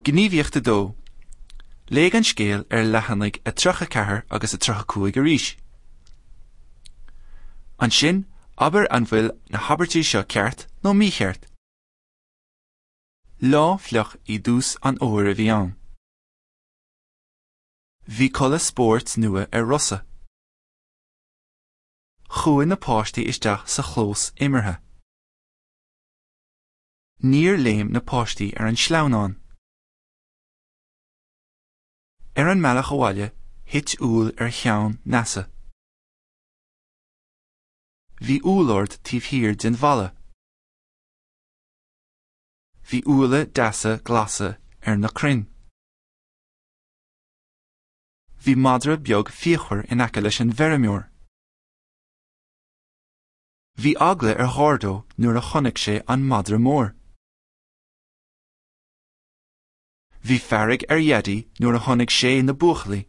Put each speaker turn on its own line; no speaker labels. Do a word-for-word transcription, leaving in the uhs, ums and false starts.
Gníomhaíocht a dó. Léigh an scéal ar leathanaigh a tríocha ceathair agus a tríocha cúig arís. Ansin, abair an bhfuil na habairtí seo ceart nó mícheart. Lá fliuch i dtús an fhómhair a bhí ann. Bhí culaith spóirt nua ar Rosa. Chuaigh na páistí isteach sa chlós imeartha. Níor léim na páistí ar an sleamhnán. Ar an mbealach abhaile, thit úll ar cheann Neasa. Bhí úllord taobh thiar den bhalla. Bhí úlla deasa glasa ar na crainn. Bhí madra beag fíochmhar in aice leis an bhfeirmeoir. Bhí eagla ar Ghardo nuair a chonaic sé an madra mór. Bhí fearg ar Dhaidí nuair a chonaic sé na buachaillí.